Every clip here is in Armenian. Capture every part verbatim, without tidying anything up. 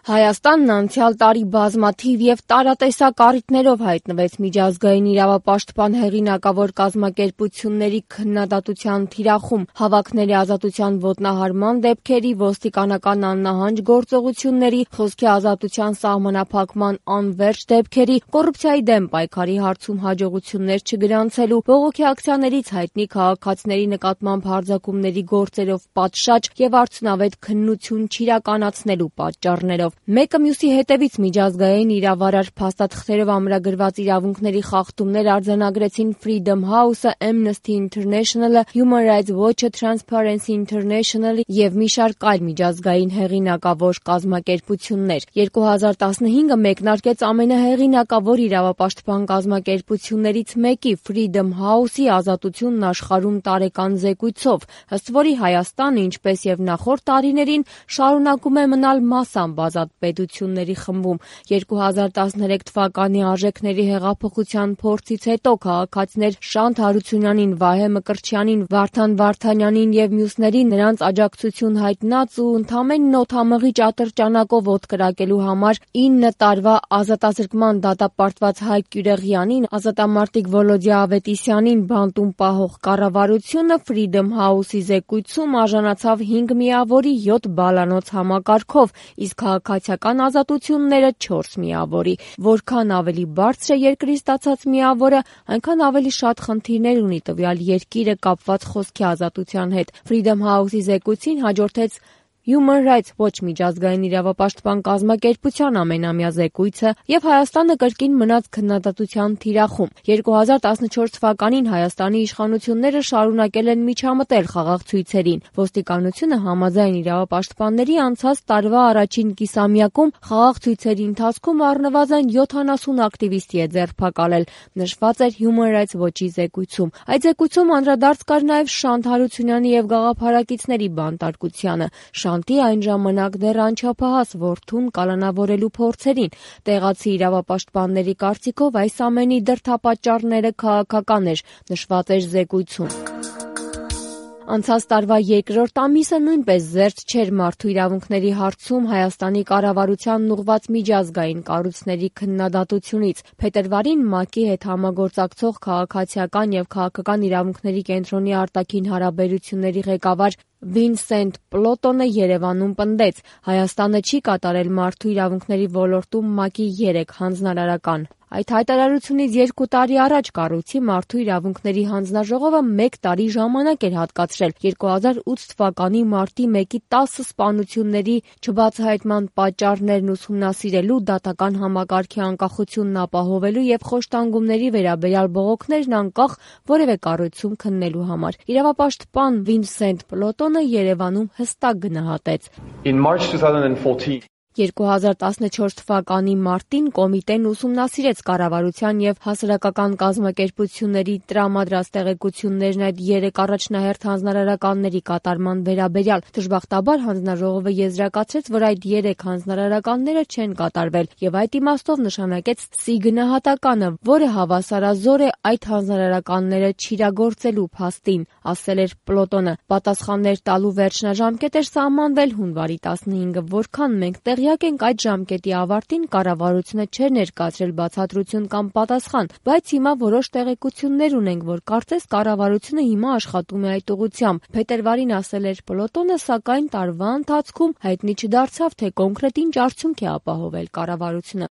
Հայաստանն անցյալ տարի բազմաթիվ և տարատեսակ առիթներով հայտնվեց միջազգային իրավապաշտպան հեղինակավոր կազմակերպությունների քննադատության թիրախում, հավաքների ազատության ոտնահարման դեպքերի, ոստիկանական աննահանջ գործողությունների, խոսքի ազատության սահմանափակման անվերջ դեպքերի, կոռուպցիայի դեմ պայքարի հարցում հաջողություններ չգրանցելու, բողոքի ակցիաներից հայտնի քաղաքացիների նկատմամբ հարձակումների գործերով պատշաճ և արդյունավետ քննություն չիրականացնելու պատճառներով։ Մեկը մյուսի հետևից միջազգային իրավարար փաստաթղթերով ամրագրված իրավունքների խախտումներ արձանագրեցին Freedom House-ը, Amnesty International-ը, Human Rights Watch-ը, Transparency International-ը և մի շարք այլ միջազգային հեղինակավոր կազմակերպություններ։ երկու հազար տասնհինգը մեկնարկեց ամենահեղինակավոր իրավապաշտպան կազմակերպություններից մեկի Freedom House-ի ազատությունն աշխարհում տարեկան զեկույցով, ըստ որի Հայաստանը, ինչպես և նախորդ տարիներին, շարունակում է մնալ մասամբ ազատ պետությունների խմբում։ երկու հազար տասներեք թվականի արժեքների հեղափոխության փորձից հետո քաղաքացիներ Շանթ Հարությունյանին, Վահե Մկրտչյանին, Վարդան Վարդանյանին և մյուսներին նրանց աջակցություն հայտնած ու ընդամենն օդամղի ատրճանակով օդ կրակելու համար ինը տարվա ազատազրկման դատապարտված Հայկ Կյուրեղյանին, ազատամարտիկ Վոլոդյա Ավետիսյանին բանտում պահող կառավարությունը Freedom House-ի զեկույցում արժանացավ հինգ միավորի յոթ բալանոց համակարգով, իսկ քաղաքացիական ազատությունները չորս միավորի։ Որքան ավելի բարձր է երկրի ստացած միավորը, այնքան ավելի շատ խնդիրներ ունի տվյալ երկիրը կապված խոսքի ազատության հետ։ Freedom House-ի զեկույցին հաջորդեց Human Rights Watch միջազգային իրավապաշտպան կազմակերպության ամենամյա զեկույցը, և Հայաստանը կրկին մնաց քննադատության թիրախում։ երկու հազար տասնչորս թվականին Հայաստանի իշխանությունները շարունակել են միջամտել խաղաղ ցույցերին։ Ոստիկանությունը համաձայն իրավապաշտպանների անցած տարվա առաջին կիսամյակում խաղաղ ցույցերի ընթացքում առնվազն յոթանասուն ակտիվիստի է ձերբակալել, նշված էր Human Rights Watch-ի զեկույցում։ Այդ զեկույցում անդրադարձ կար նաև Շանթ Հարությունյանի և գաղափարակիցների բանտարկությանը, Շանթի այն ժամանակ դեռ անչափահաս որդուն կալանավորելու փորձերին։ Տեղացի իրավապաշտպանների կարծիքով այս ամենի դրդապատճառները քաղաքական էր, նշված էր զեկույցում։ Անցած տարվա երկրորդ ամիսը նույնպես զերծ չէր մարդու իրավունքների հարցում Հայաստանի կառավարությանն ուղղված միջազգային կառույցների քննադատությունից։ Փետրվարին ՄԱԿ-ի հետ համագործակցող Քաղաքացիական և քաղաքական իրավունքների կենտրոնի արտաքին հարաբերությունների ղեկավար Վինսենտ Պլոտոնը Երևանում պնդեց. Հայաստանը չի կատարել մարդու իրավունքների ոլորտում ՄԱԿ-ի երեք հանձնարարական։ Այդ հայտարարությունից երկու տարի առաջ կառույցի մարդու իրավունքների հանձնաժողովը մեկ տարի ժամանակ էր հատկացրել երկու հազար ութ թվականի մարտի մեկի տասը սպանությունների չբացահայտման պատճառներն ուսումնասիրելու, դատական համակարգի անկախությունն ապահովելու և խոշտանգումների վերաբերյալ բողոքներն անկախ որևէ կառույցում քննելու համար։ Իրավապաշտպան Վինսենտ Պլոտոնը Երևանում հստակ գնահատեց. երկու հազար տասնչորս թվականի մարտին կոմիտեն ուսումնասիրեց կառավարության և հասարակական կազմակերպությունների տրամադրած տեղեկություններն այդ երեք առաջնահերթ հանձնարարականների կատարման վերաբերյալ։ Դժբախտաբար հանձնաժողովը եզրակացրեց, որ այդ երեք հանձնարարականները չեն կատարվել և այդ իմաստով նշանակեց սի գնահատականը, որը հավասարազոր է այդ հանձնարարականները չիրագործելու փաստին, ասել էր Պլոտոնը։ Պատասխաններ տալու վերջնաժամկետ էր սահմանվել հունվարի տասնհինգը, որքան մենք տեղյակ ենք, այդ ժամկետի ավարտին կառավարությունը չէր ներկայացրել բացատրություն կամ պատասխան, բայց հիմա որոշ տեղեկություններ ունենք, որ կարծես կառավարությունը հիմա աշխատում է այդ ուղղությամբ։ Փետրվարին ասել էր Պլոտոնը, սակայն տարվա ընթացքում հայտնի չդարձավ, թե կոնկրետ ինչ արդյունք է ապահովել կառավարությունը։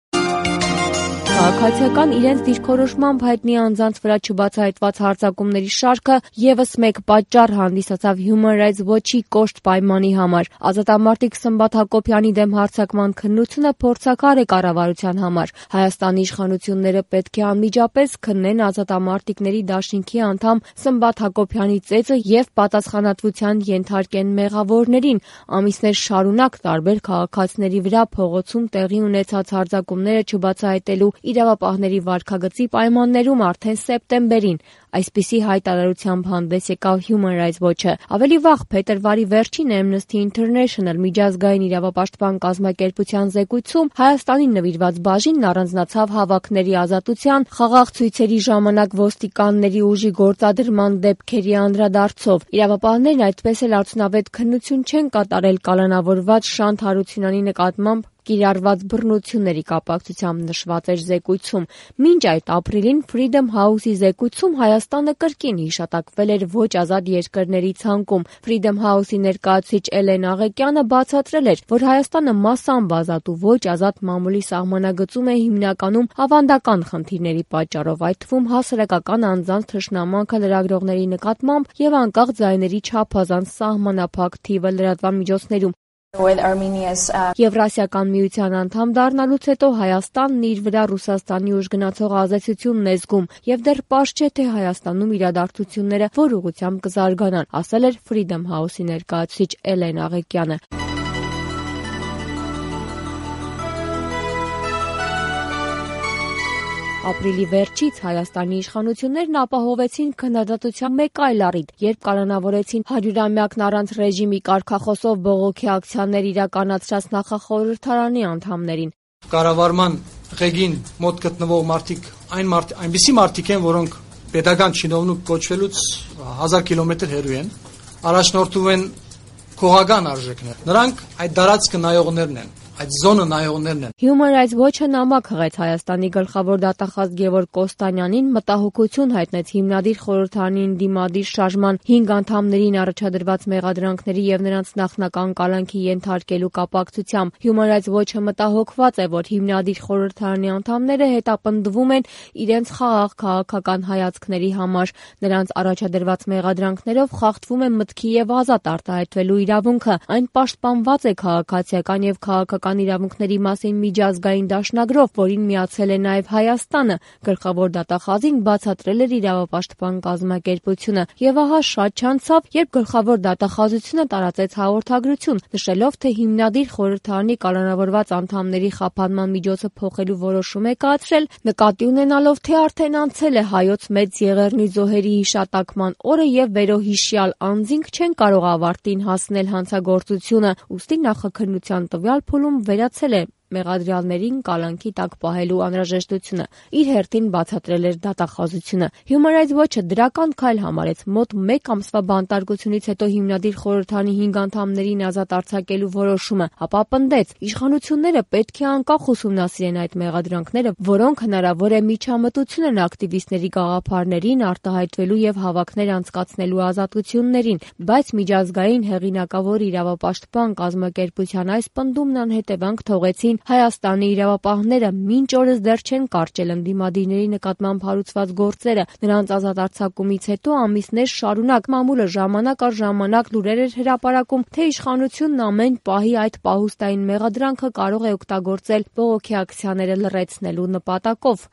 Քաղաքացիական իրենց դիրքորոշմամբ հայտնի անձանց վրա չբացահայտված հարձակումների շարքը ևս մեկ պատճառ հանդիսացավ Human Rights Watch-ի կոշտ պայմանի համար։ Ազատամարտիկ Սմբատ Հակոբյանի դեմ հարձակման քննությունը փորձաքար է կառավարության համար։ Հայաստանի իշխանությունները պետք է անմիջապես քննեն ազատամարտիկների դաշինքի անդամ Սմբատ Հակոբյանի ծեծը և պատասխանատվության ենթարկեն մեղավորներին։ Ամիսներ շարունակ տարբեր քաղաքացիների վրա փողոցում տեղի ունեցած հարձակումները չբացահայտելու իրավապահների վարքագծի պայմաններում արդեն սեպտեմբերին այսպիսի հայտարարությամբ հանդես եկավ Human Rights Watch-ը։ Ավելի վաղ փետրվարի վերջին Amnesty International միջազգային իրավապաշտպան կազմակերպության զեկույցում Հայաստանին նվիրված բաժինն առանձնացավ հավաքների ազատության, խաղաղ ցույցերի ժամանակ ոստիկանների ուժի գործադրման դեպքերի անդրադարձով։ Իրավապահներն այդպես էլ արդյունավետ քննություն չեն կատարել կալանավորված Շանթ Հարությունյանի նկատմամբ կիրառված բռնությունների կապակցությամբ նշված էր զեկույցում։ Մինչ այդ ապրիլին Freedom House-ի զեկույցում Հայաստանը կրկին հիշատակվել էր ոչ ազատ երկրների ցանկում։ Freedom House-ի ներկայացուցիչ Էլեն Աղեկյանը բացատրել էր, որ Հայաստանը մասամբ ազատ ու ոչ ազատ մամուլի սահմանագծում է հիմնականում ավանդական խնդիրների պատճառով, այդ թվում հասարակական անձանց թշնամանքը լրագրողների նկատմամբ եւ անկախ ձայների չափազանց սահմանափակ թիվը լրատվամիջոցներում։ Եվրասիական միության անդամ դառնալուց հետո Հայաստանն իր վրա Ռուսաստանի ուժգնացող ազդեցությունն է զգում եւ դեռ պարզ չէ, թե Հայաստանում իրադարձությունները որ ուղղությամբ կզարգանան, ասել էր Freedom House-ի ներկայացուցիչ Էլեն Աղեկյանը։ Ապրիլի վերջից Հայաստանի իշխանություններն ապահովեցին քննադատության մեկ այլ առիթ, երբ կալանավորեցին հարյուրամյակն առանց ռեժիմի կարգախոսով բողոքի ակցիաներ իրականացրած նախախորհրդարանի անդամներին։ Կառավարման ղեկին մոտ գտնվող մարդիկ այն մարդ, այնպիսի մարդիկ են, որոնք պետական чиновник կոչվելուց հազար կիլոմետր հեռու են, առաջնորդում են քողական արժեքներ։ Նրանք այդ դարածքը նայողներն են։ Այդ զոնը նայողներն են։ Human Rights Watch-ը նամակ հղեց Հայաստանի գլխավոր դատախազ Գևորգ Կոստանյանին, մտահոգություն հայտնեց հիմնադիր խորհրդարանին դիմադիր շարժման հինգ անդամներին առաջադրված մեղադրանքների եւ նրանց նախնական կալանքի ենթարկելու կապակցությամբ։ Human Rights Watch-ը մտահոգված է, որ հիմնադիր խորհրդարանի անդամները հետապնդվում են իրենց խաղաղ քաղաքական հայացքների համար։ Նրանց առաջադրված մեղադրանքներով խախտվում է մտքի եւ ազատ արտահայտվելու իրավունքը։ Այն պաշտպանված է քաղաքացիական եւ քաղաքական իրավունքների մասին միջազգային դաշնագրով, որին միացել է նաև Հայաստանը, գլխավոր դատախազին բացատրել էր իրավապաշտպան կազմակերպությունը։ Եվ ահա շատ չանցավ, երբ գլխավոր դատախազությունը տարածեց հաղորդագրություն, նշելով, թե հիմնադիր խորհրդարանի կալանավորված անդամների խափանման միջոցը փոխելու որոշում է կայացրել, նկատի ունենալով, թե արդեն անցել է Հայոց մեծ Եղեռնի զոհերի հիշատակման օրը եւ վերոհիշյալ անձինք չեն կարող ավարտին հասնել հանցագործությունը, ուստի նախաքննության տվյալ փուլում վերացել է մեղադրյալներին կալանքի տակ պահելու անհրաժեշտությունը, իր հերթին բացատրել էր դատախազությունը։ Human Rights Watch-ը դրական քայլ համարեց մոտ մեկ ամսվա բանտարկությունից հետո հիմնադիր խորհրդարանի հինգ անդամներին ազատ արձակելու որոշումը, ապա պնդեց, իշխանությունները պետք է անկախ ուսումնասիրեն այդ մեղադրանքները, որոնք հնարավոր է միջամտություն են ակտիվիստների գաղափարներին արտահայտվելու եւ հավաքներ անցկացնելու ազատություններին, բայց միջազգային հեղինակավոր իրավապաշտպան կազմակերպության այս պնդումն անհետևանք թողեցին Հայաստանի իրավապահները, մինչ օրս դեռ չեն կարճել ընդդիմադիրների նկատմամբ հարուցված գործերը։ Նրանց ազատ արձակումից հետո ամիսներ շարունակ մամուլը ժամանակ առ ժամանակ լուրեր էր հրապարակում, թե իշխանությունն ամեն պահի այդ պահուստային մեղադրանքը կարող է օգտագործել բողոքի ակցիաները լռեցնելու նպատակով։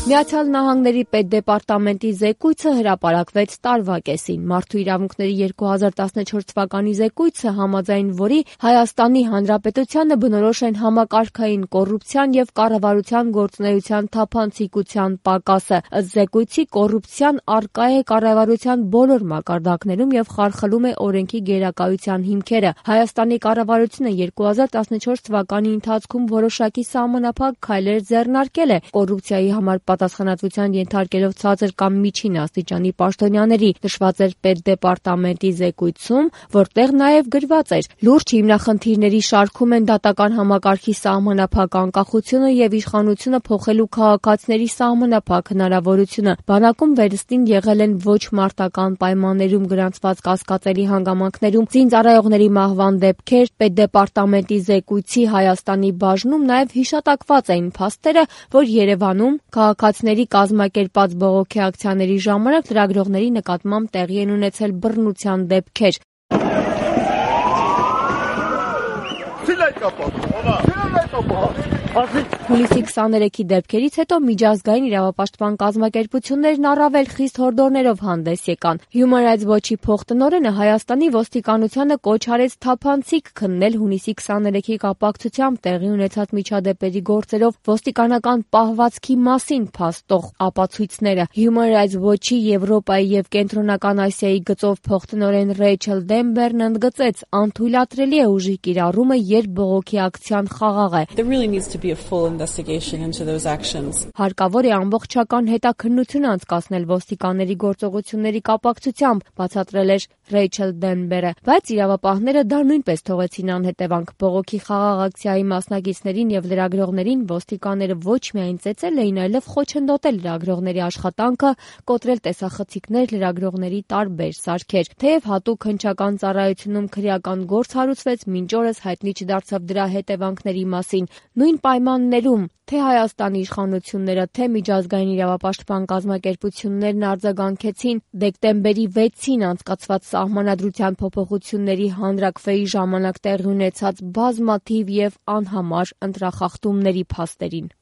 Միացյալ Նահանգների պետդեպարտամենտի զեկույցը հրապարակվեց տարվա կեսին։ Մարդու իրավունքների երկու հազար տասնչորս թվականի զեկույցը, համաձայն որի Հայաստանի Հանրապետությանը բնորոշ են համակարգային կոռուպցիան եւ կառավարության գործունեության թափանցիկության պակասը։ Ըստ զեկույցի կոռուպցիան առկա է կառավարության բոլոր մակարդակներում եւ խարխլում է օրենքի գերակայության հիմքերը։ Հայաստանի կառավարությունը երկու հազար տասնչորս թվականի ընթացքում որոշակի սահմանափակ քայլեր ձեռնարկել է կոռուպցիայի համար պատասխանատվության ենթարկելով ցածր կամ միջին աստիճանի պաշտոնյաների, նշված էր պետդեպարտամենտի զեկույցում, որտեղ նաև գրված էր. լուրջ հիմնախնդիրների շարքում են դատական համակարգի սահմանափակ անկախությունը եւ իշխանությունը փոխելու քաղաքացիների սահմանափակ հնարավորությունը։ Բանակում վերստին եղել են ոչ մարտական պայմաններում գրանցված կասկածելի հանգամանքներում զինծառայողների մահվան դեպքեր, պետդեպարտամենտի զեկույցի Հայաստանի բաժնում նաև հիշատակված էին փաստերը, որ Երևանում քաղաքացիների կազմակերպած բողոքի ակցիաների ժամանակ լրագրողների նկատմամբ տեղի են ունեցել բռնության դեպքեր։ Հուլիսի քսաներեքի դեպքերից հետո միջազգային իրավապաշտպան կազմակերպություններն առավել խիստ հորդորներով հանդես եկան։ Human Rights Watch-ի փոխտնօրենը Հայաստանի ոստիկանությանը կոչ արեց թափանցիկ քննել հունիսի քսաներեքի կապակցությամբ տեղի ունեցած միջադեպերի գործերով ոստիկանական պահվածքի մասին փաստող ապացույցները։ Human Rights Watch-ի Եվրոպայի եւ Կենտրոնական Ասիայի գծով փոխտնօրեն Ռեյչել Դեմբերն ընդգծեց, անթույլատրելի է ուժի կիրառումը, երբ բողոքի ակցիան խաղաղ է։ investigation into those actions. Հարկավոր է ամբողջական հետաքննություն անցկացնել ոստիկանների գործողությունների կապակցությամբ, բացատրել էր Ռեյչել Դենբերը, բայց իրավապահները դա նույնպես թողեցին անհետևանք։ Բողոքի խաղաղ ակցիայի մասնակիցներին եւ լրագրողներին ոստիկանները ոչ միայն ծեծել էին, այլև խոչընդոտել լրագրողների աշխատանքը, կոտրել տեսախցիկներ, լրագրողների տարբեր սարքեր։ Թեև հատուկ հնչական ծառայությունում քրեական գործ հարուցվեց, մինչ օրս հայտնի չդարձավ դրա հետևանքների մասին։ Նույն պայմաններում թե Հայաստանի իշխանությունները, թե միջազգային իրավապաշտպան կազմակերպություններն արձագանքեցին դեկտեմբերի վեցին անցկացված սահմանադրության փոփոխությունների հանրաքվեի ժամանակ տեղի ունեցած բազմաթիվ եւ անհամար ընտրախախտումների փաստերին։